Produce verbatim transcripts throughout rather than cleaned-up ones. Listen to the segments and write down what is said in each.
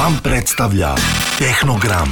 Vam predstavlja Tehnogram.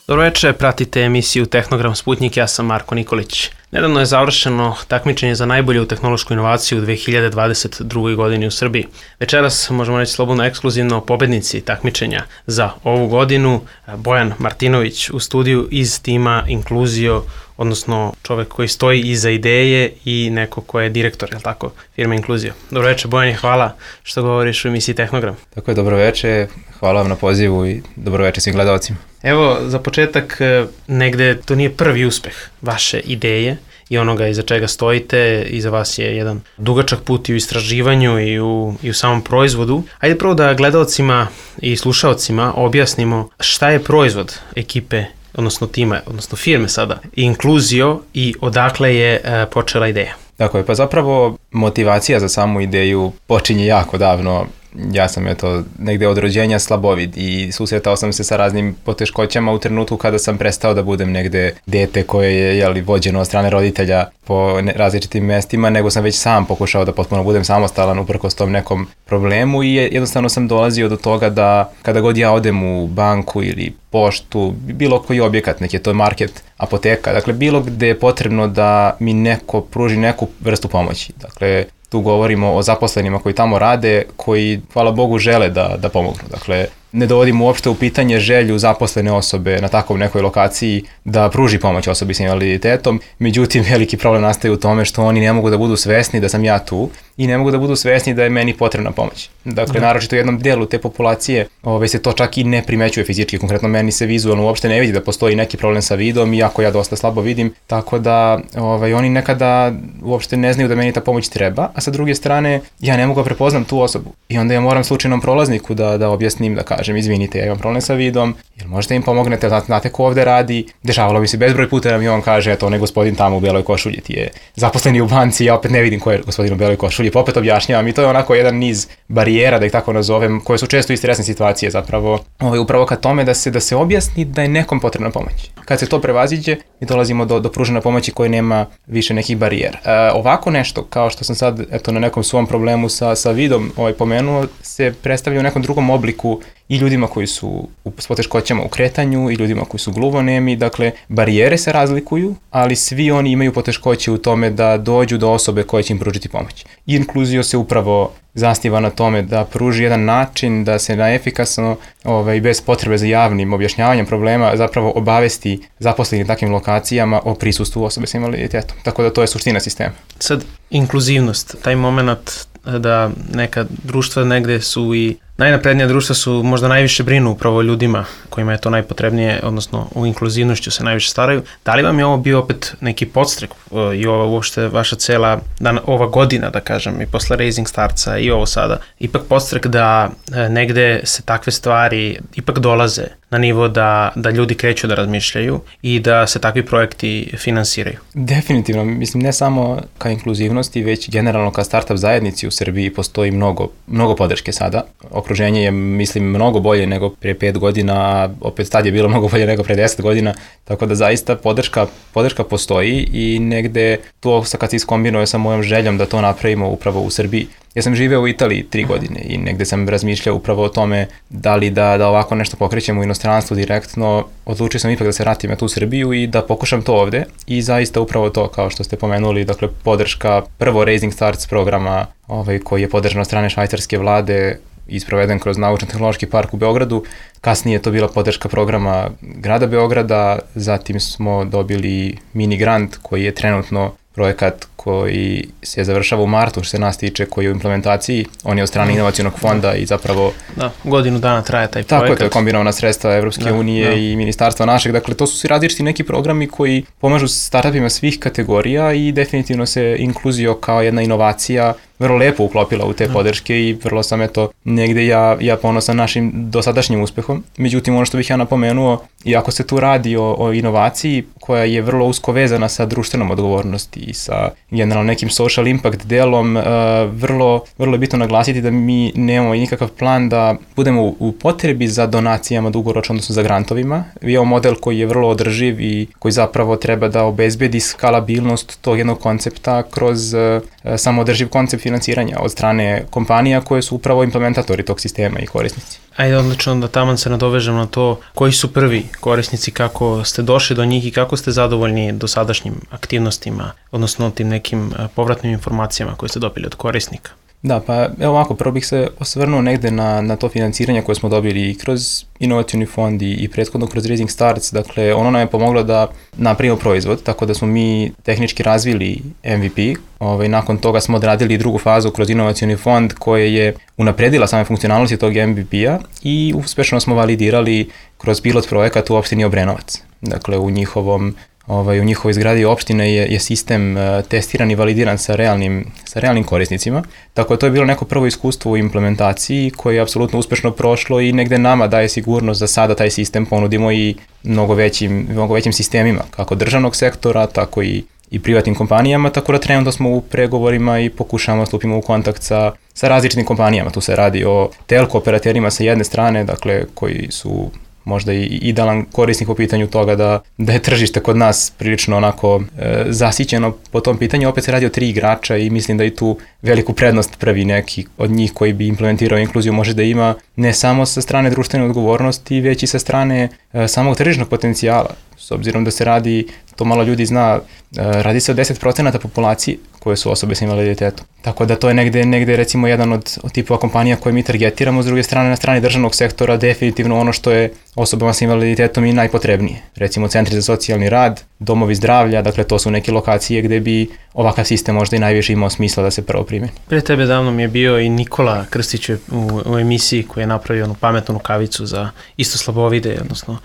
Dobro večer, pratite emisiju Tehnogram Sputnik, ja sam Marko Nikolić. Nedavno je završeno takmičenje za najbolju tehnološku inovaciju u dve hiljade dvadeset drugoj. godini u Srbiji. Večeras, možemo reći slobodno ekskluzivno, pobednici takmičenja za ovu godinu, Bojan Martinović u studiju iz tima Inkluzio, odnosno čovek koji stoji iza ideje i neko ko je direktor, je li tako, firme Inkluzio. Dobro večer, Bojan, hvala što govoriš u emisiji Tehnogram. Tako je, dobro večer, hvala vam na pozivu i dobro večer svim gledalcima. Evo, za početak, negde to nije prvi uspeh vaše ideje i onoga iza čega stojite. Iza vas je jedan dugačak put i u istraživanju i u, i u samom proizvodu. Ajde prvo da gledalcima i slušalcima objasnimo šta je proizvod ekipe, odnosno tima, odnosno firme sada, Inkluzio, i odakle je e, počela ideja. Tako je, pa zapravo motivacija za samu ideju počinje jako davno. Ja sam eto negde od rođenja slabovid i susretao sam se sa raznim poteškoćama u trenutku kada sam prestao da budem negde dete koje je jeli, vođeno od strane roditelja po ne, različitim mestima, nego sam već sam pokušao da potpuno budem samostalan uprkos tom nekom problemu i jednostavno sam dolazio do toga da kada god ja odem u banku ili poštu, bilo koji objekat, neki je to market, apoteka, dakle bilo gde je potrebno da mi neko pruži neku vrstu pomoći. Dakle, tu govorimo o zaposlenima koji tamo rade, koji, hvala Bogu, žele da, da pomognu. Dakle, ne dovodimo uopšte u pitanje želju zaposlene osobe na takvom nekoj lokaciji da pruži pomoć osobi sa invaliditetom. Međutim, veliki problem nastaje u tome što oni ne mogu da budu svesni da sam ja tu i ne mogu da budu svesni da je meni potrebna pomoć. Dakle, da. Naročito u jednom delu te populacije ove, se to čak i ne primećuje fizički. Konkretno, meni se vizualno uopšte ne vidi da postoji neki problem sa vidom, iako ja dosta slabo vidim, tako da ove, oni nekada uopšte ne znaju da meni ta pomoć treba, a sa druge strane, ja ne mogu da prepoznam tu osobu. I onda ja moram slučajnom prolazniku da, da objasnim, da kažem, izvinite, ja imam problem sa vidom, jel možete im pomognete, znate, znate ko ovde radi. Dešavalo mi se bezbroj puta da mi on kaže, eto, onaj gospodin tamo u beloj košulji ti je zaposleni u banci, ja opet ne vidim ko je gospodin u beloj košulji, pa opet objašnjavam i to je onako jedan niz barijera, da ih tako nazovem, koje su često i stresne situacije zapravo, ovaj, upravo ka tome da se, da se objasni da je nekom potrebna pomoć. Kad se to prevaziđe, mi dolazimo do, do pružene pomoći koje nema više nekih barijera. E, ovako nešto, kao što sam sad eto, na nekom svom problemu sa, sa vidom ovaj, pomenuo, se predstavlja u nekom drugom obliku i ljudima koji su s poteškoćama u kretanju i ljudima koji su gluvonemi. Dakle, barijere se razlikuju, ali svi oni imaju poteškoće u tome da dođu do osobe koja će im pružiti pomoć. I Inkluzio se upravo zasniva na tome da pruži jedan način da se na efikasno ovaj, bez potrebe za javnim objašnjavanjem problema zapravo obavesti zaposleni takvim lokacijama o prisustvu osobe sa invaliditetom. Tako da to je suština sistema. Sad, inkluzivnost, taj moment da neka društva negde su i najnaprednija društva su možda najviše brinu upravo ljudima kojima je to najpotrebnije, odnosno u inkluzivnošću se najviše staraju. Da li vam je ovo bio opet neki podstrek i ova uopšte vaša cela, dan, ova godina, da kažem, i posle Raising Startsa i ovo sada, ipak podstrek da negde se takve stvari ipak dolaze na nivo da, da ljudi kreću da razmišljaju i da se takvi projekti finansiraju? Definitivno, mislim ne samo ka inkluzivnosti, već generalno ka startup zajednici u Srbiji postoji mnogo, mnogo podrške sada. Okruženje je, mislim, mnogo bolje nego prije pet godina, a opet tad je bilo mnogo bolje nego prije deset godina, tako da zaista podrška, podrška postoji i negde to kad se iskombinuje sa mojom željom da to napravimo upravo u Srbiji. Ja sam živeo u Italiji tri godine i negde sam razmišljao upravo o tome da li da, da ovako nešto pokrećem u inostranstvu direktno. Odlučio sam ipak da se vratim na tu Srbiju i da pokušam to ovde i zaista upravo to, kao što ste pomenuli, dakle podrška prvo Raising Starts programa ovaj, koji je podržan od strane švajcarske vlade i sproveden kroz Naučno-tehnološki park u Beogradu. Kasnije je to bila podrška programa grada Beograda, zatim smo dobili mini grant koji je trenutno projekat koji se završava u martu, što se nas tiče, koji je u implementaciji. On je od strane inovacionog fonda i zapravo... Da, godinu dana traje taj projekat. Tako je, to je kombinovana sredstva Evropske da, unije da. I ministarstva našeg. Dakle, to su svi različiti neki programi koji pomažu startupima svih kategorija i definitivno se Inkluzio kao jedna inovacija vrlo lepo uklopila u te da. podrške i vrlo sam eto negde ja, ja ponosan našim dosadašnjim uspehom. Međutim, ono što bih ja napomenuo, iako se tu radi o, o inovaciji koja je vrlo usko vezana sa društvenom odgovornosti i sa generalno nekim social impact delom, uh, vrlo, vrlo je bitno naglasiti da mi nemamo nikakav plan da budemo u, u potrebi za donacijama dugoročno, odnosno za grantovima. Imamo model koji je vrlo održiv i koji zapravo treba da obezbedi skalabilnost tog jednog koncepta kroz uh, samoodrživ koncept finansiranja od strane kompanija koje su upravo implementatori tog sistema i korisnici. Ajde, odlično da taman se nadovežem na to koji su prvi korisnici, kako ste došli do njih i kako ste zadovoljni dosadašnjim aktivnostima, odnosno tim nekim povratnim informacijama koje ste dobili od korisnika. Da, pa evo ovako, prvo bih se osvrnuo negde na, na to financiranje koje smo dobili i kroz inovacioni fond i, i prethodno kroz Rising Starts. Dakle, ono nam je pomoglo da napravimo proizvod, tako da smo mi tehnički razvili M V P. Ovaj, nakon toga smo odradili drugu fazu kroz inovacioni fond koja je unapredila same funkcionalnosti tog M V P-a i uspešno smo validirali kroz pilot projekat u opštini Obrenovac. Dakle, u njihovom Ovaj, u njihovoj zgradi opštine je, je sistem uh, testiran i validiran sa realnim, sa realnim korisnicima. Tako da to je bilo neko prvo iskustvo u implementaciji koje je apsolutno uspešno prošlo i negde nama daje sigurnost da sada taj sistem ponudimo i mnogo većim, mnogo većim sistemima, kako državnog sektora, tako i, i privatnim kompanijama, tako da trenutno smo u pregovorima i pokušamo stupimo u kontakt sa, sa različitim kompanijama. Tu se radi o telko operaterima sa jedne strane, dakle koji su možda i idealan korisnik po pitanju toga da, da je tržište kod nas prilično onako e, zasićeno po tom pitanju. Opet se radi o tri igrača i mislim da i tu veliku prednost prvi neki od njih koji bi implementirao inkluziju može da ima ne samo sa strane društvene odgovornosti, već i sa strane e, samog tržišnog potencijala. S obzirom da se radi, to malo ljudi zna, e, radi se o deset procenata populacije koje su osobe sa invaliditetom. Tako da to je negde, negde recimo jedan od, od tipova kompanija koje mi targetiramo, s druge strane na strani državnog sektora definitivno ono što je osobama sa invaliditetom i najpotrebnije. Recimo centri za socijalni rad, domovi zdravlja, dakle to su neke lokacije gde bi ovakav sistem možda i najviše imao smisla da se prvo primeni. Pre tebe davno mi je bio i Nikola Krstić u, u emisiji koji je napravio onu pametnu rukavicu za isto slabovide, odnosno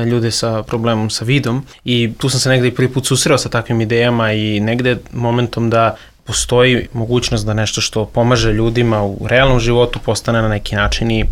ljude sa problemom sa vidom i tu sam se negde i prvi put susreo sa takvim idejama i negde momentom da postoji mogućnost da nešto što pomaže ljudima u realnom životu postane na neki način i,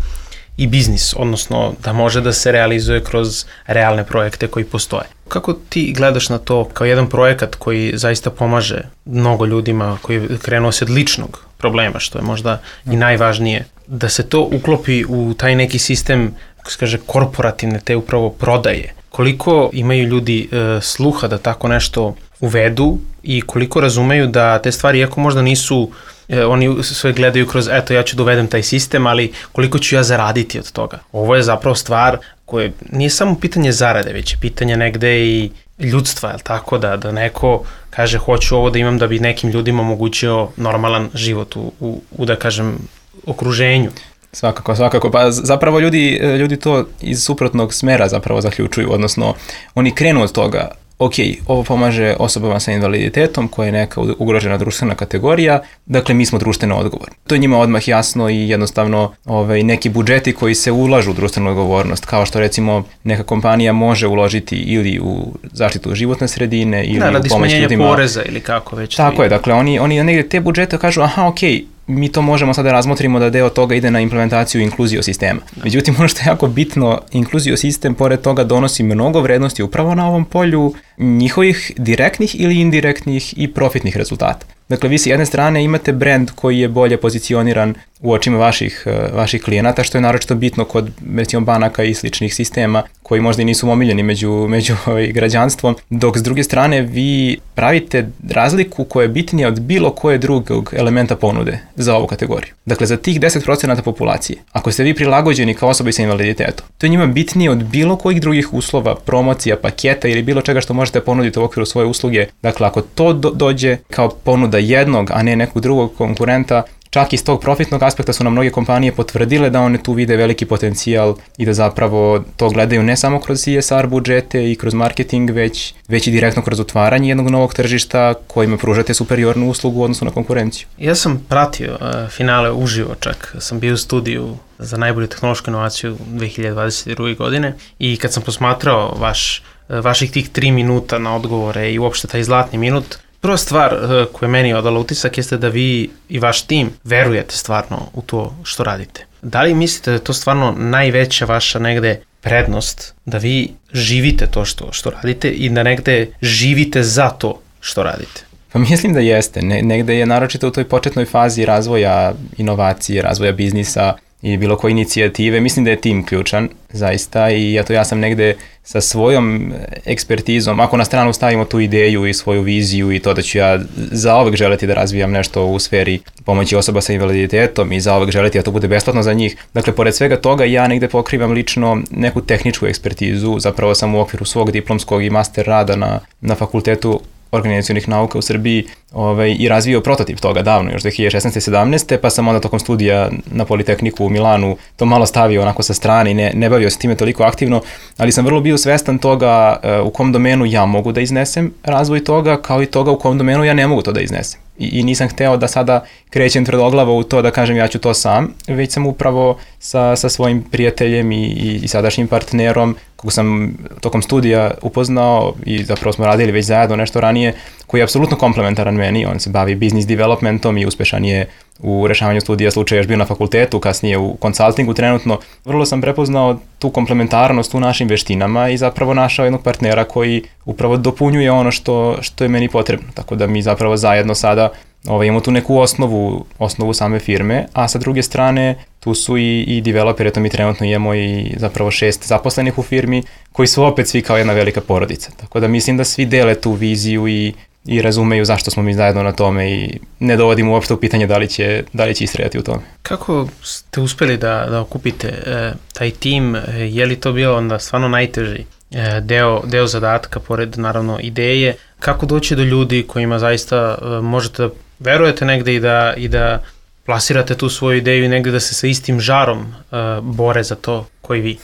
i biznis, odnosno da može da se realizuje kroz realne projekte koji postoje. Kako ti gledaš na to kao jedan projekat koji zaista pomaže mnogo ljudima koji je krenuo se od ličnog problema, što je možda i najvažnije, da se to uklopi u taj neki sistem, kako se kaže, korporativne, te upravo prodaje? Koliko imaju ljudi e, sluha da tako nešto uvedu i koliko razumeju da te stvari, iako možda nisu, e, oni sve gledaju kroz, eto ja ću da uvedem taj sistem, ali koliko ću ja zaraditi od toga? Ovo je zapravo stvar koje nije samo pitanje zarade, već je pitanje negde i ljudstva, jel tako, da, da neko kaže hoću ovo da imam da bi nekim ljudima omogućio normalan život u, u, u da kažem, okruženju. Svakako, svakako. Pa zapravo ljudi, ljudi to iz suprotnog smera zapravo zaključuju, odnosno oni krenu od toga, ok, ovo pomaže osobama sa invaliditetom koja je neka ugrožena društvena kategorija, dakle mi smo društveno odgovorni. To je njima odmah jasno i jednostavno ovaj, neki budžeti koji se ulažu u društvenu odgovornost, kao što recimo neka kompanija može uložiti ili u zaštitu životne sredine ili da, u pomoć ljudima. Da, radi smanjenja poreza ili kako već. Tako je, dakle oni, oni negdje te budžete kažu, aha, ok, mi to možemo sada razmotrimo da deo toga ide na implementaciju inkluzio sistema. Međutim, ono što je jako bitno, inkluzio sistem pored toga donosi mnogo vrednosti upravo na ovom polju njihovih direktnih ili indirektnih i profitnih rezultata. Dakle, vi s jedne strane imate brand koji je bolje pozicioniran u očima vaših, vaših klijenata, što je naročito bitno kod recimo banaka i sličnih sistema koji možda i nisu omiljeni među, među ovaj, građanstvom, dok s druge strane vi pravite razliku koja je bitnija od bilo koje drugog elementa ponude za ovu kategoriju. Dakle, za tih deset procenata populacije, ako ste vi prilagođeni kao osobi sa invaliditetom, to je njima bitnije od bilo kojih drugih uslova, promocija, paketa ili bilo čega što možete ponuditi u okviru svoje usluge. Dakle, ako to do- dođe kao ponuda jednog, a ne nekog drugog konkurenta, čak iz tog profitnog aspekta su nam mnoge kompanije potvrdile da one tu vide veliki potencijal i da zapravo to gledaju ne samo kroz C S R budžete i kroz marketing, već, već i direktno kroz otvaranje jednog novog tržišta kojima pružate superiornu uslugu u odnosu na konkurenciju. Ja sam pratio uh, finale uživo, čak sam bio u studiju za najbolju tehnološku inovaciju dve hiljade dvadeset druge. godine i kad sam posmatrao vaš, uh, vaših tih tri minuta na odgovore i uopšte taj zlatni minut, prva stvar uh, koja je meni odala utisak jeste da vi i vaš tim verujete stvarno u to što radite. Da li mislite da je to stvarno najveća vaša negde prednost, da vi živite to što, što radite i da negde živite za to što radite? Pa mislim da jeste. Ne, negde je naročito u toj početnoj fazi razvoja inovacije, razvoja biznisa, i bilo koje inicijative. Mislim da je tim ključan, zaista, i eto ja sam negde sa svojom ekspertizom, ako na stranu stavimo tu ideju i svoju viziju i to da ću ja zaovek želeti da razvijam nešto u sferi pomoći osoba sa invaliditetom i zaovek želeti da to bude besplatno za njih. Dakle, pored svega toga ja negde pokrivam lično neku tehničku ekspertizu, zapravo sam u okviru svog diplomskog i master rada na, na fakultetu organizacionih nauka u Srbiji ovaj, i razvio prototip toga davno, još dve hiljade šesnaeste. sedamnaeste. Pa sam onda tokom studija na Politehniku u Milanu to malo stavio onako sa strane i ne, ne bavio se time toliko aktivno, ali sam vrlo bio svestan toga uh, u kom domenu ja mogu da iznesem razvoj toga, kao i toga u kom domenu ja ne mogu to da iznesem. I, i nisam hteo da sada krećem tvrdoglavo u to da kažem ja ću to sam, već sam upravo sa, sa svojim prijateljem i, i, i sadašnjim partnerom, kog sam tokom studija upoznao i zapravo smo radili već zajedno nešto ranije, koji je apsolutno komplementaran meni. On se bavi business developmentom i uspešan je u rešavanju studija slučaja, još bio na fakultetu, kasnije u konsultingu trenutno. Vrlo sam prepoznao tu komplementarnost u našim veštinama i zapravo našao jednog partnera koji upravo dopunjuje ono što, što je meni potrebno. Tako da mi zapravo zajedno sada ovaj, imamo tu neku osnovu, osnovu same firme, a sa druge strane tu su i, i developeri, to mi trenutno imamo i zapravo šest zaposlenih u firmi, koji su opet svi kao jedna velika porodica. Tako da mislim da svi dele tu viziju i i razumeju zašto smo mi zajedno na tome i ne dovodimo uopšte u pitanje da li će, da li će istrajati u tome. Kako ste uspeli da, da okupite e, taj tim? E, je li to bilo onda stvarno najteži e, deo, deo zadatka, pored naravno ideje? Kako doći do ljudi kojima zaista e, možete da verujete negde i da, i da plasirate tu svoju ideju i negde da se sa istim žarom uh, bore za to koji vi?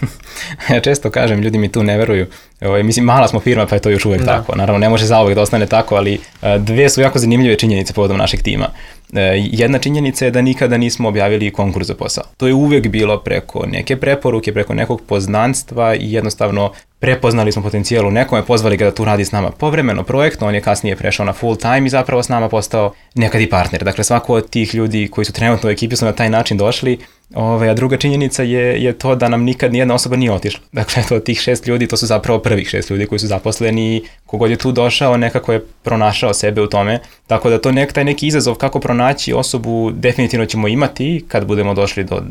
Ja često kažem, ljudi mi tu ne veruju. Ovo, mislim, mala smo firma, pa je to još uvek da. tako. Naravno, ne može zauvek da ostane tako, ali uh, dve su jako zanimljive činjenice povodom našeg tima. Uh, jedna činjenica je da nikada nismo objavili konkurs za posao. To je uvek bilo preko neke preporuke, preko nekog poznanstva i jednostavno prepoznali smo potencijal u nekome, pozvali ga da tu radi s nama povremeno, projektno, on je kasnije prešao na full time i zapravo s nama postao nekad i partner. Dakle, svako od tih ljudi koji su trenutno u ekipi su na taj način došli. Ove, a druga činjenica je, je to da nam nikad nijedna osoba nije otišla. Dakle, to tih šest ljudi, to su zapravo prvih šest ljudi koji su zaposleni i kogod je tu došao, nekako je pronašao sebe u tome. Tako da to nek, taj neki izazov kako pronaći osobu definitivno ćemo imati kad budemo došli do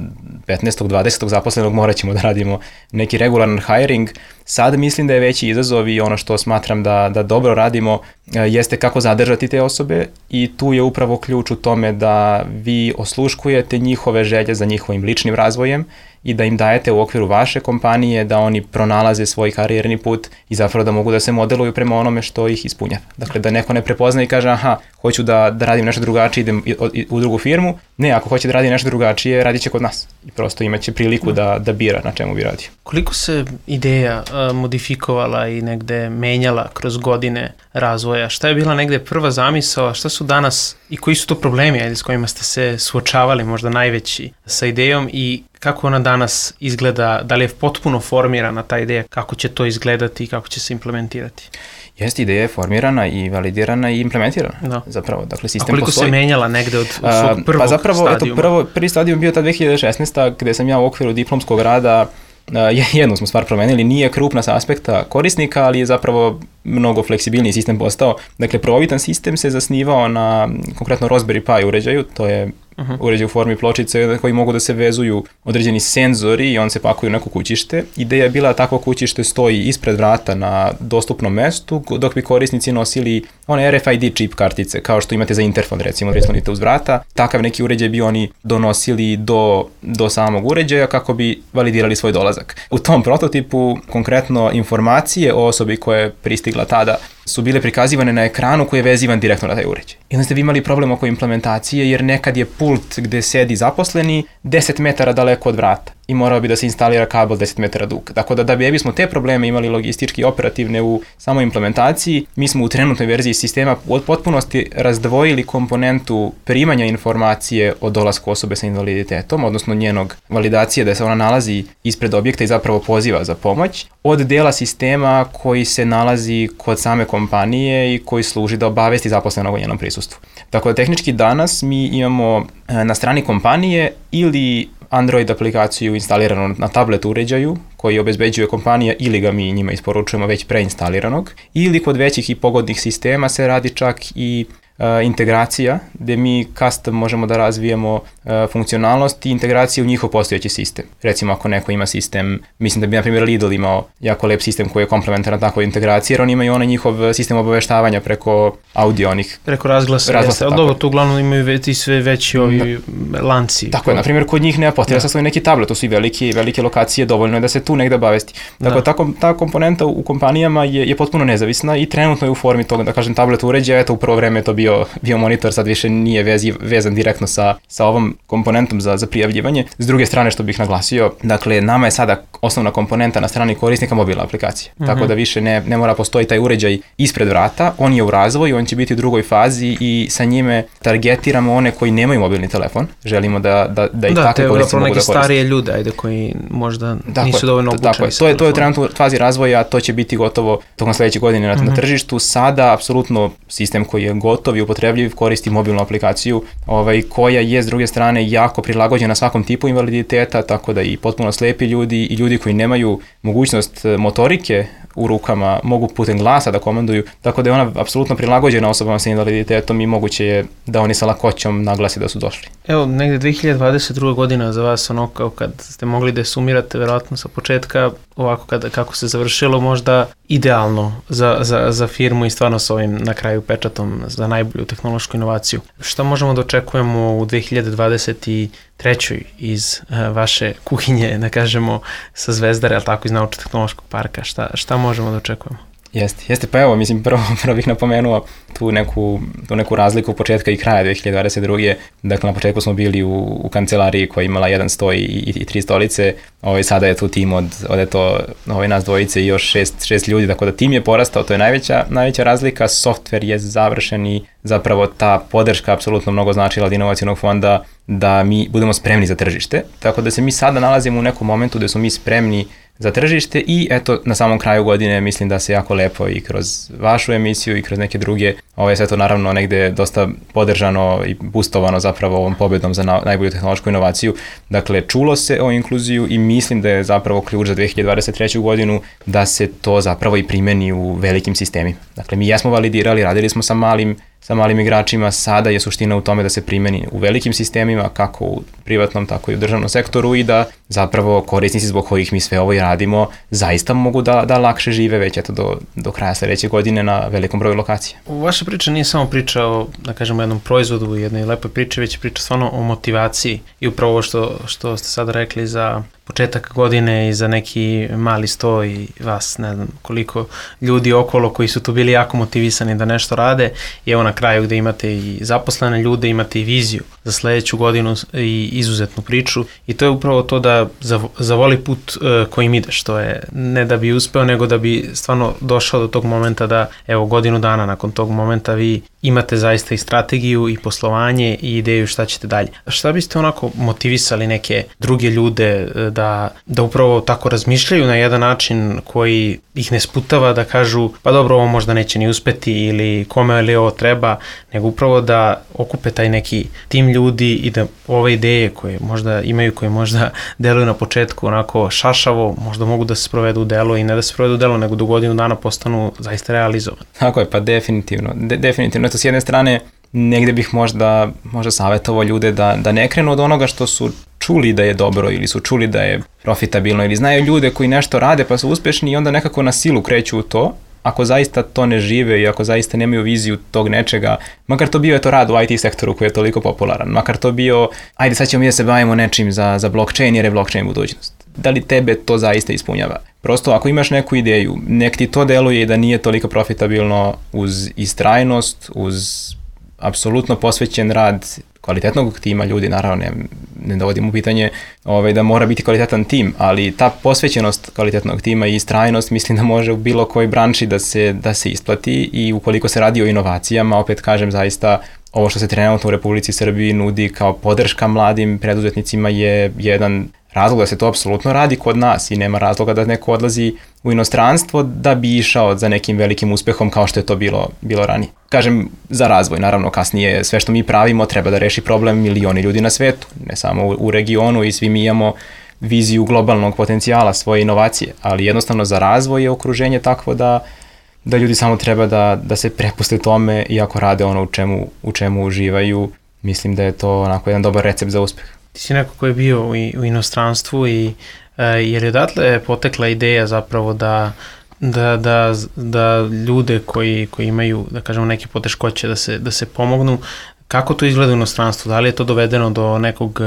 petnaestog dvadesetog zaposlenog, morat ćemo da radimo neki regularan hiring. Sad mislim da je veći izazov i ono što smatram da, da dobro radimo jeste kako zadržati te osobe i tu je upravo ključ u tome da vi osluškujete njihove želje za njihovim ličnim razvojem i da im dajete u okviru vaše kompanije da oni pronalaze svoj karijerni put i zapravo da mogu da se modeluju prema onome što ih ispunjava. Dakle, da neko ne prepozna i kaže aha, hoću da, da radim nešto drugačije, idem u drugu firmu. Ne, ako hoće da radi nešto drugačije, radit će kod nas. I prosto imaće priliku da, da bira na čemu bi radio. Koliko se ideja uh, modifikovala i negde menjala kroz godine razvoja? Šta je bila negde prva zamisao, šta su danas i koji su to problemi ajde, s kojima ste se suočavali možda najveći sa idejom i kako ona danas izgleda, da li je potpuno formirana ta ideja, kako će to izgledati i kako će se implementirati? Jeste, ideja je formirana i validirana i implementirana. Da. Zapravo, dakle, sistem postoji. A koliko postoji. se menjala negde od, od svog prvog pa zapravo, stadijuma? Eto, prvo, prvi stadijum bio ta dve hiljade šesnaeste. gde sam ja u okviru diplomskog rada Uh, jednu smo stvar promenili, nije krupna sa aspekta korisnika, ali je zapravo mnogo fleksibilniji sistem postao. Dakle, prvobitan sistem se zasnivao na konkretno Raspberry Pi uređaju, to je uh-huh. uređaj u formi pločice koji mogu da se vezuju određeni senzori i on se pakuju u neko kućište. Ideja je bila da takvo kućište stoji ispred vrata na dostupnom mestu, dok bi korisnici nosili one R F I D čip kartice, kao što imate za interfon, recimo, da slonite uz vrata. Takav neki uređaj bi oni donosili do, do samog uređaja kako bi validirali svoj dolazak. U tom prototipu konkretno informacije o osobi koja je pristigla tada su bile prikazivane na ekranu koji je vezivan direktno na taj uređaj. I onda ste vi imali problem oko implementacije jer nekad je pult gde sedi zaposleni deset metara daleko od vrata i morao bi da se instalira kabel deset metara dug. Tako da da bi bismo te probleme imali logistički i operativne u samoj implementaciji, mi smo u trenutnoj verziji sistema od potpunosti razdvojili komponentu primanja informacije o dolasku osobe sa invaliditetom, odnosno njenog validacije da se ona nalazi ispred objekta i zapravo poziva za pomoć, od dela sistema koji se nalazi kod same kompanije i koji služi da obavesti zaposlenog o njenom prisustvu. Tako da tehnički danas mi imamo na strani kompanije ili Android aplikaciju instaliranu na tablet uređaju koji obezbeđuje kompanija ili ga mi njima isporučujemo već preinstaliranog, ili kod većih i pogodnih sistema se radi čak i uh, integracija gde mi custom možemo da razvijemo uh, funkcionalnost i integraciju u njihov postojeći sistem. Recimo ako neko ima sistem, mislim da bi na primjer Lidl imao jako lep sistem koji je komplementaran takvoj integraciji, jer oni imaju onaj njihov sistem obaveštavanja preko audio onih. Preko razglasa, razglasa ali dobro, tu uglavnom imaju već i sve veći ovi da. lanci. Tako je, na primjer kod njih nema potreba sa svoj neki tablet, to su i velike, velike lokacije, dovoljno je da se tu negde obavesti. Tako da. ta, ta komponenta u kompanijama je, je potpuno nezavisna i trenutno je u formi toga, da kažem, tablet uređaja, eto u prvo vreme je to bio, bio monitor, sad više nije vezi, vezan direktno sa, sa ovom komponentom za, za prijavljivanje. S druge strane, što bih naglasio, dakle, nama je sada osnovna komponenta na strani korisnika mobilna aplikacija. Mm-hmm. Tako da više ne, ne mora postoji taj uređaj ispred vrata, on je u razvoju, on će biti u drugoj fazi i sa njime targetiramo one koji nemaju mobilni telefon. Želimo da, da, da i da, takvi korisnici mogu da koriste. Da, te neke starije ljude, ajde, koji možda tako nisu dovoljno obučeni. Tako je, to je, to je u trenutnoj fazi razvoja, to će biti gotovo tokom sledeće godine na, mm-hmm. na tržištu. Sada, apsolutno, sistem koji je gotov i upotrebljiv koristi mobilnu aplikaciju, ovaj, koja je s druge strane jako prilagođena svakom tipu invaliditeta, tako da i potpuno slepi ljudi i ljudi koji nemaju mogućnost motorike u rukama mogu putem glasa da komanduju, tako da je ona apsolutno prilagođena osobama sa invaliditetom i moguće je da oni sa lakoćom naglasi da su došli. Evo, negde dve hiljade dvadeset druga godina za vas, ono kao kad ste mogli da sumirate verovatno sa početka, ovako kada, kako se završilo, možda idealno za, za, za firmu i stvarno s ovim na kraju pečatom za najbolju tehnološku inovaciju. Šta možemo da očekujemo u dve hiljade dvadeset trećoj iz uh, vaše kuhinje, da kažemo, sa Zvezdare, ali tako iz Naučno-tehnološkog parka? Šta, šta možemo da očekujemo? Jeste, jeste, pa evo, mislim, prvo, prvo bih napomenuo tu neku, tu neku razliku početka i kraja dve hiljade dvadeset druge. Dakle, na početku smo bili u, u kancelariji koja je imala jedan stoj i, i, i tri stolice, ovaj, sada je tu tim od, od eto, ovaj, nas dvojice i još šest, šest ljudi, tako da tim je porastao, to je najveća, najveća razlika, softver je završen i zapravo ta podrška apsolutno mnogo značila od inovacionog fonda da mi budemo spremni za tržište, tako da se mi sada nalazimo u nekom momentu gde smo mi spremni za tržište i eto na samom kraju godine mislim da se jako lepo i kroz vašu emisiju i kroz neke druge, ovo sve to naravno negde dosta podržano i boostovano zapravo ovom pobedom za na, najbolju tehnološku inovaciju. Dakle, čulo se o inkluziju i mislim da je zapravo ključ za dve hiljade dvadeset treću godinu da se to zapravo i primeni u velikim sistemima. Dakle, mi jesmo validirali, radili smo sa malim sa malim igračima, sada je suština u tome da se primeni u velikim sistemima, kako u privatnom, tako i u državnom sektoru i da zapravo korisnici zbog kojih mi sve ovo i radimo zaista mogu da, da lakše žive već eto do, do kraja sledeće godine na velikom broju lokacija. Vaša priča nije samo priča o, da kažemo, jednom proizvodu, jednoj lepoj priči, već priča stvarno o motivaciji i upravo ovo što, što ste sad rekli za početak godine i za neki mali sto i vas, ne znam koliko ljudi okolo koji su tu bili jako motivisani da nešto rade i evo na kraju gde imate i zaposlene ljude, imate i viziju za sledeću godinu i izuzetnu priču i to je upravo to da zavoli put uh, kojim ideš, to je ne da bi uspeo nego da bi stvarno došao do tog momenta da evo godinu dana nakon tog momenta vi imate zaista i strategiju i poslovanje i ideju šta ćete dalje. Šta biste onako motivisali neke druge ljude da, da upravo tako razmišljaju na jedan način koji ih ne sputava da kažu pa dobro ovo možda neće ni uspeti ili kome li ovo treba, nego upravo da okupe taj neki tim ljudi i da ove ideje koje možda imaju, koje možda deluju na početku onako šašavo, možda mogu da se sprovedu u delo i ne da se sprovedu u delo, nego do godinu dana postanu zaista realizovani. Tako je, pa definitivno. De, definitivno. Eto, s jedne strane, negde bih možda, možda savjetovao ljude da, da ne krenu od onoga što su čuli da je dobro ili su čuli da je profitabilno ili znaju ljude koji nešto rade pa su uspešni i onda nekako na silu kreću u to. Ako zaista to ne žive i ako zaista nemaju viziju tog nečega, makar to bio je to rad u I T sektoru koji je toliko popularan, makar to bio, ajde sad ćemo mi da se bavimo nečim za, za blockchain jer je blockchain budućnost. Da li tebe to zaista ispunjava? Prosto ako imaš neku ideju, nek ti to deluje i da nije toliko profitabilno uz istrajnost, uz apsolutno posvećen rad kvalitetnog tima ljudi, naravno ne, ne dovodim u pitanje ovaj, da mora biti kvalitetan tim, ali ta posvećenost kvalitetnog tima i istrajnost mislim da može u bilo kojoj branši da se, da se isplati i ukoliko se radi o inovacijama, opet kažem zaista ovo što se trenutno u Republici Srbiji nudi kao podrška mladim preduzetnicima je jedan razlog da se to apsolutno radi kod nas i nema razloga da neko odlazi u inostranstvo da bi išao za nekim velikim uspehom kao što je to bilo, bilo ranije. Kažem, za razvoj, naravno kasnije sve što mi pravimo treba da reši problem milioni ljudi na svetu, ne samo u, u regionu i svi mi imamo viziju globalnog potencijala svoje inovacije, ali jednostavno za razvoj je okruženje takvo da da ljudi samo treba da, da se prepuste tome i ako rade ono u čemu, u čemu uživaju, mislim da je to onako jedan dobar recept za uspeh. Ti si neko ko je bio u, u inostranstvu i uh, jer je odatle potekla ideja zapravo da Da, da, da ljude koji, koji imaju, da kažemo, neke poteškoće da se, da se pomognu. Kako to izgleda u inostranstvu? Da li je to dovedeno do nekog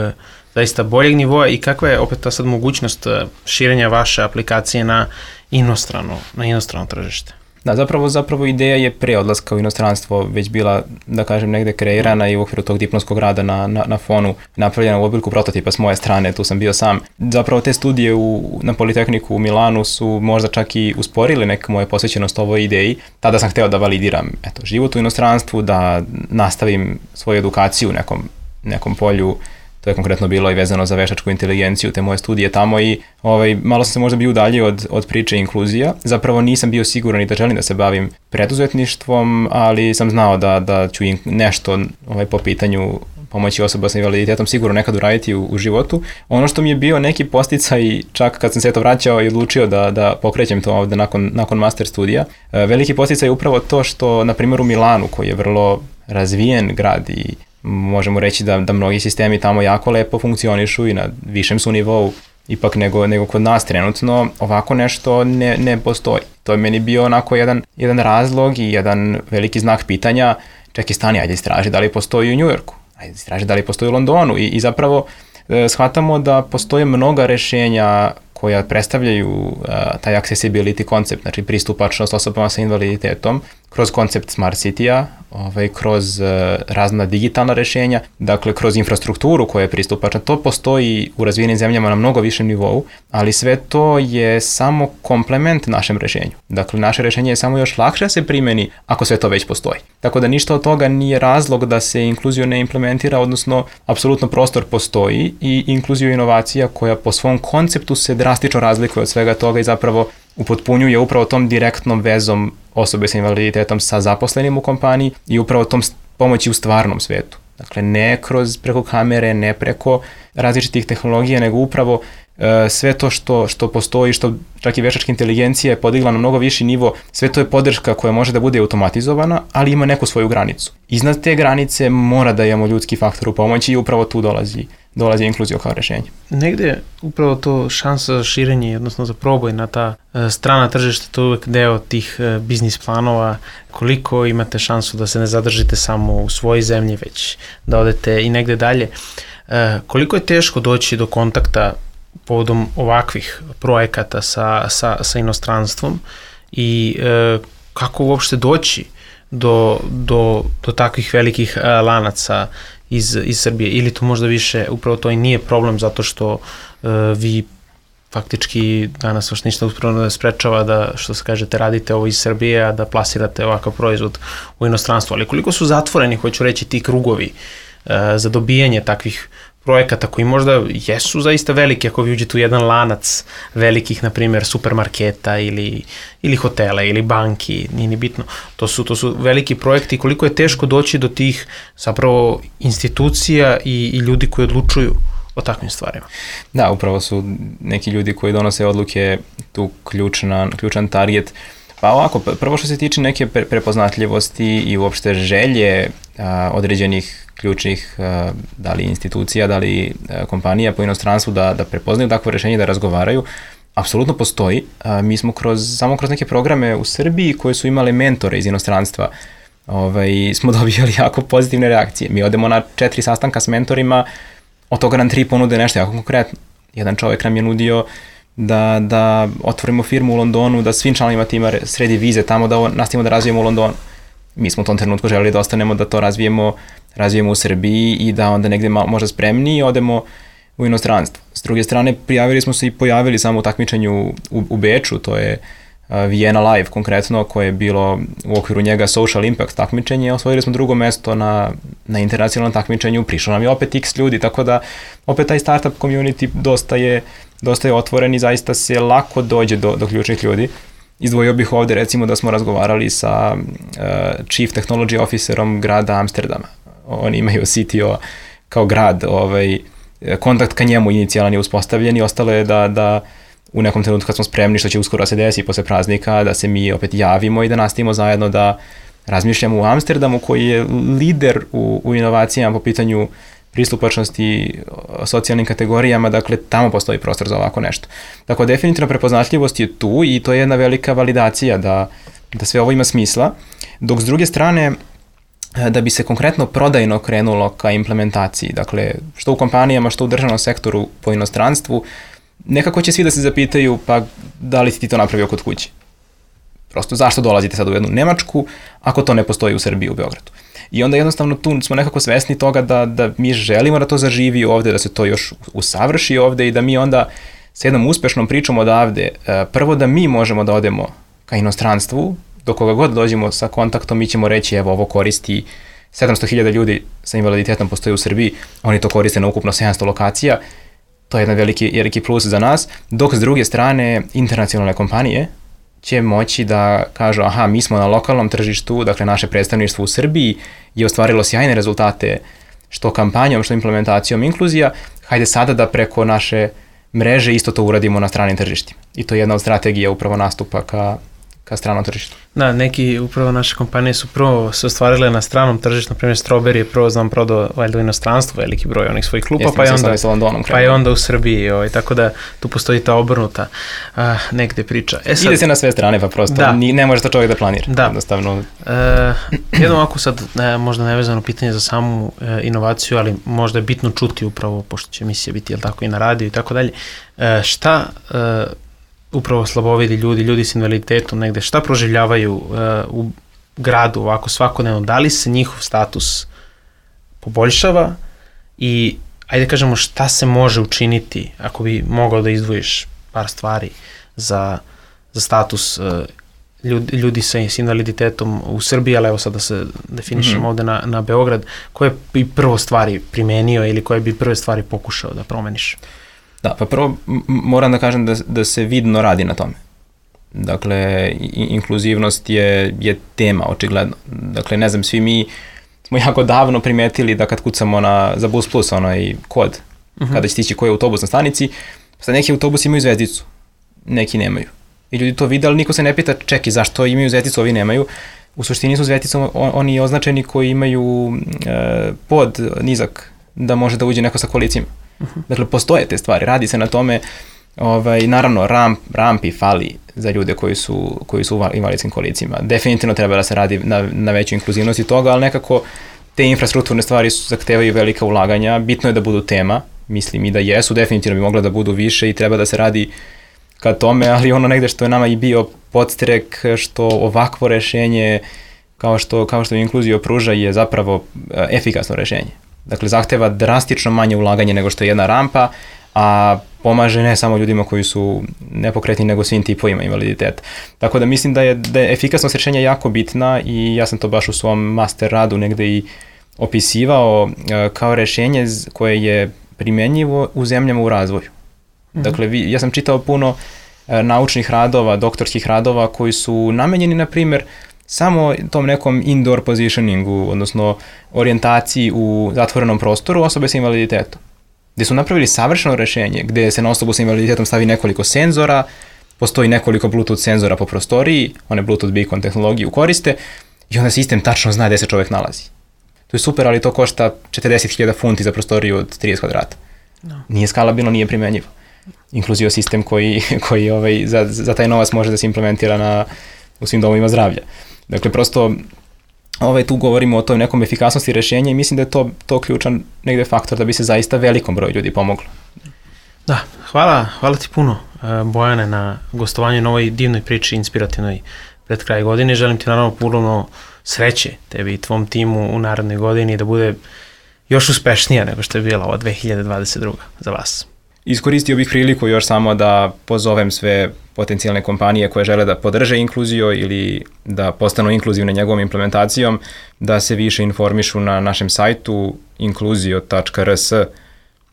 zaista boljeg nivoa i kakva je opet ta sad mogućnost širenja vaše aplikacije na inostrano, na inostrano tržište? Da, zapravo, zapravo ideja je pre odlaska u inostranstvo već bila, da kažem, negde kreirana i u okviru tog diplomskog rada na, na, na fonu napravljena u obliku prototipa s moje strane, tu sam bio sam. Zapravo te studije u, na Politehniku u Milanu su možda čak i usporili neku moju posvećenost ovoj ideji. Tada sam hteo da validiram eto, život u inostranstvu, da nastavim svoju edukaciju u nekom, nekom polju. To je konkretno bilo i vezano za veštačku inteligenciju, te moje studije tamo i ovaj, malo sam se možda bio udaljio od, od priče inkluzija. Zapravo nisam bio siguran i da želim da se bavim preduzetništvom, ali sam znao da, da ću nešto ovaj, po pitanju pomoći osoba sa invaliditetom sigurno nekad uraditi u, u životu. Ono što mi je bio neki podsticaj, čak kad sam se to vraćao i odlučio da, da pokrećem to ovde nakon, nakon master studija, veliki podsticaj je upravo to što, na primjer u Milanu, koji je vrlo razvijen grad i možemo reći da, da mnogi sistemi tamo jako lepo funkcionišu i na višem su nivou ipak nego, nego kod nas trenutno, ovako nešto ne, ne postoji. To je meni bio onako jedan, jedan razlog i jedan veliki znak pitanja, čekaj stani, ajde istraži da li postoji u Njujorku, ajde istraži da li postoji u Londonu i, i zapravo e, shvatamo da postoje mnoga rešenja koja predstavljaju uh, taj accessibility koncept, znači pristupačnost osobama sa invaliditetom, kroz koncept Smart City-a, ovaj, kroz uh, razna digitalna rešenja, dakle kroz infrastrukturu koja je pristupačna. To postoji u razvijenim zemljama na mnogo višem nivou, ali sve to je samo komplement našem rešenju. Dakle, naše rešenje je samo još lakše da se primeni ako sve to već postoji. Tako da ništa od toga nije razlog da se inkluziju ne implementira, odnosno apsolutno prostor postoji i inkluziju inovacija koja po svom konceptu se drastično razlikuje od svega toga i zapravo upotpunjuje upravo tom direktnom vezom osobe sa invaliditetom sa zaposlenim u kompaniji i upravo tom pomoći u stvarnom svetu. Dakle, ne kroz preko kamere, ne preko različitih tehnologija, nego upravo e, sve to što, što postoji, što čak i veštačka inteligencija je podigla na mnogo viši nivo, sve to je podrška koja može da bude automatizovana, ali ima neku svoju granicu. Iznad te granice mora da imamo ljudski faktor u pomoći i upravo tu dolazi dolazi inkluzija kao rešenje. Negde upravo to šansa za širenje, odnosno za proboj na ta e, strana tržišta, to je uvek deo tih e, biznis planova. Koliko imate šansu da se ne zadržite samo u svojoj zemlji, već da odete i negde dalje. E, koliko je teško doći do kontakta povodom ovakvih projekata sa, sa, sa inostranstvom i e, kako uopšte doći do, do, do takvih velikih e, lanaca iz, iz Srbije, ili to možda više upravo to i nije problem zato što uh, vi faktički danas vaš ništa uspravno ne sprečava da, što se kažete, radite ovo iz Srbije, a da plasirate ovakav proizvod u inostranstvu. Ali koliko su zatvoreni, hoću reći, ti krugovi uh, za dobijanje takvih projekata koji možda jesu zaista veliki ako vi uđete u jedan lanac velikih, na primjer, supermarketa ili, ili hotela ili banki, nije ni bitno. To su, to su veliki projekti. Koliko je teško doći do tih zapravo institucija i, i ljudi koji odlučuju o takvim stvarima. Da, upravo su neki ljudi koji donose odluke tu ključna, ključan target. Pa ovako, prvo što se tiče neke prepoznatljivosti i uopšte želje a, određenih ključnih a, da li institucija, da li a, kompanija po inostranstvu da, da prepoznaju takvo rešenje, da razgovaraju, apsolutno postoji. A, mi smo kroz, samo kroz neke programe u Srbiji koje su imale mentore iz inostranstva, ovaj, smo dobijali jako pozitivne reakcije. Mi odemo na četiri sastanka s mentorima, od toga nam tri ponude nešto jako konkretno. Jedan čovjek nam je nudio da, da otvorimo firmu u Londonu, da svim članovima tima sredi vize tamo, da nastavimo da razvijemo u Londonu. Mi smo u tom trenutku želeli da ostanemo, da to razvijemo, razvijemo u Srbiji i da onda negde malo, možda spremniji odemo u inostranstvo. S druge strane, prijavili smo se i pojavili samo u takmičenju u, u Beču, to je uh, Vienna Live konkretno, koje je bilo u okviru njega Social Impact takmičenje. Osvojili smo drugo mesto na, na internacionalnom takmičenju, prišlo nam je opet x ljudi, tako da opet taj startup community dosta je dosta je otvoren i zaista se lako dođe do, do ključnih ljudi. Izdvojio bih ovde recimo da smo razgovarali sa uh, Chief Technology Officerom grada Amsterdama. Oni imaju C T O kao grad, ovaj, kontakt ka njemu inicijalan je uspostavljen i ostalo je da, da u nekom trenutku kad smo spremni, što će uskoro da se desi posle praznika, da se mi opet javimo i da nastavimo zajedno da razmišljamo u Amsterdamu, koji je lider u, u inovacijama po pitanju pristupačnosti socijalnim kategorijama, dakle tamo postoji prostor za ovako nešto. Dakle, definitivno prepoznatljivost je tu i to je jedna velika validacija da, da sve ovo ima smisla, dok s druge strane da bi se konkretno prodajno krenulo ka implementaciji, dakle što u kompanijama, što u državnom sektoru po inostranstvu, nekako će svi da se zapitaju pa da li si ti to napravio kod kuće. Prosto zašto dolazite sad u jednu Nemačku ako to ne postoji u Srbiji, u Beogradu. I onda jednostavno tu smo nekako svesni toga da, da mi želimo da to zaživi ovde, da se to još usavrši ovde i da mi onda s jednom uspešnom pričom odavde, prvo da mi možemo da odemo ka inostranstvu, do koga god dođemo sa kontaktom, mi ćemo reći evo ovo koristi sedamsto hiljada ljudi sa invaliditetom postoji u Srbiji, oni to koriste na ukupno sedamsto lokacija, to je jedan veliki, veliki plus za nas, dok s druge strane internacionalne kompanije će moći da kažu aha, mi smo na lokalnom tržištu, dakle naše predstavništvo u Srbiji je ostvarilo sjajne rezultate što kampanjom, što implementacijom inkluzija, hajde sada da preko naše mreže isto to uradimo na stranim tržištima. I to je jedna od strategija upravo nastupa ka, ka stranom tržištu. Da, neki upravo naše kompanije su prvo se ostvarile na stranom tržištu, na primjer Strawberry je prvo znam prodao valjda u inostranstvu veliki broj onih svojih klupa, Jeste, pa, je onda, sa Londonom pa je onda u Srbiji, ovaj, tako da tu postoji ta obrnuta a, negde priča. E sad, ide se na sve strane, pa prosto da. ni, ne može to čovjek da planira. Da. Jednostavno. E, jedno ovako sad, ne, možda nevezano pitanje za samu e, inovaciju, ali možda je bitno čuti upravo, pošto će emisija biti, jel tako, i na radiju i tako dalje, e, šta e, upravo slabovidi ljudi, ljudi s invaliditetom negde, šta proživljavaju uh, u gradu ovako svakodnevno, da li se njihov status poboljšava i ajde kažemo šta se može učiniti ako bi mogao da izdvojiš par stvari za, za status uh, ljudi, ljudi sa, s invaliditetom u Srbiji, ali evo sad da se definišemo mm-hmm. ovde na, na Beograd, koje bi prvo stvari primenio ili koje bi prve stvari pokušao da promeniš? Da, pa prvo moram da kažem da, da se vidno radi na tome. Dakle, inkluzivnost je, je tema, očigledno. Dakle, ne znam, svi mi smo jako davno primetili da kad kucamo na, za Bus Plus, onaj kod, uh-huh. kada će stići koji je autobus na stanici, sad neki autobusi imaju zvezdicu, neki nemaju. I ljudi to vide, ali niko se ne pita, čeki, zašto imaju zvezdicu, ovi nemaju. U suštini su zvezdicom oni označeni koji imaju e, pod nizak, da može da uđe neko sa kolicima. Uh-huh. Dakle, postoje te stvari, radi se na tome, ovaj, naravno, ramp, rampi fali za ljude koji su, koji su u invalidskim kolicima. Definitivno treba da se radi na, na veću inkluzivnosti toga, ali nekako te infrastrukturne stvari su, zahtevaju velika ulaganja, bitno je da budu tema, mislim i da jesu, definitivno bi mogla da budu više i treba da se radi ka tome, ali ono negde što je nama i bio podstrek, što ovakvo rešenje, kao što, kao što inkluzija pruža, je zapravo efikasno rešenje. Dakle, zahteva drastično manje ulaganje nego što je jedna rampa, a pomaže ne samo ljudima koji su nepokretni, nego svim tipovima invaliditeta. Tako da mislim da je, da je efikasnost rješenja jako bitna i ja sam to baš u svom master radu negde i opisivao kao rješenje koje je primjenjivo u zemljama u razvoju. Mm-hmm. Dakle, vi, ja sam čitao puno naučnih radova, doktorskih radova koji su namenjeni, na primjer, samo tom nekom indoor positioningu, odnosno orijentaciji u zatvorenom prostoru osobe sa invaliditetom. Gde su napravili savršeno rešenje, gde se na osobu sa invaliditetom stavi nekoliko senzora, postoji nekoliko Bluetooth senzora po prostoriji, one Bluetooth beacon tehnologiju koriste i onda sistem tačno zna gde se čovjek nalazi. To je super, ali to košta četrdeset hiljada funti za prostoriju od trideset kvadrata. No. Nije skalabilno, nije primenjivo. Inkluzio sistem koji, koji ovaj, za, za taj novac može da se implementira na, u svim domovima zdravlja. Dakle, prosto ovaj, tu govorimo o toj nekom efikasnosti rešenja i mislim da je to, to ključan negde faktor da bi se zaista velikom broju ljudi pomoglo. Da, hvala, hvala ti puno, Bojane, na gostovanju na ovoj divnoj priči, inspirativnoj pred kraj godine. Želim ti naravno puno sreće tebi i tvom timu u narednoj godini da bude još uspešnija nego što je bila ova dve hiljade dvadeset druga za vas. Iskoristio bih priliku još samo da pozovem sve potencijalne kompanije koje žele da podrže inkluziju ili da postanu inkluzivne njegovom implementacijom, da se više informišu na našem sajtu inkluzio tačka r s,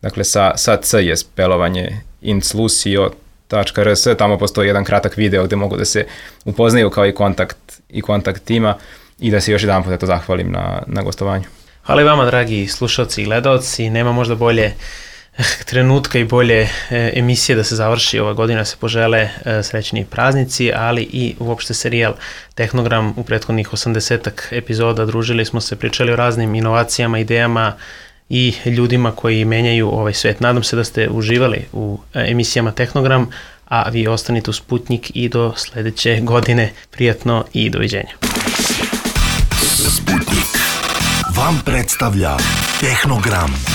dakle sa, sa c je spelovanje inclusio tačka r s, tamo postoji jedan kratak video gde mogu da se upoznaju kao i kontakt, i kontakt tima i da se još jedan put zahvalim na, na gostovanju. Hvala i vama, dragi slušalci i gledalci, nema možda bolje trenutka i bolje emisije da se završi ova godina, se požele srećni praznici, ali i uopšte serijal Tehnogram u prethodnih osamdesetak epizoda. Družili smo se, pričali o raznim inovacijama, idejama i ljudima koji menjaju ovaj svet. Nadam se da ste uživali u emisijama Tehnogram, a vi ostanite u Sputnik i do sledeće godine. Prijatno i doviđenja. Sputnik vam predstavlja Tehnogram.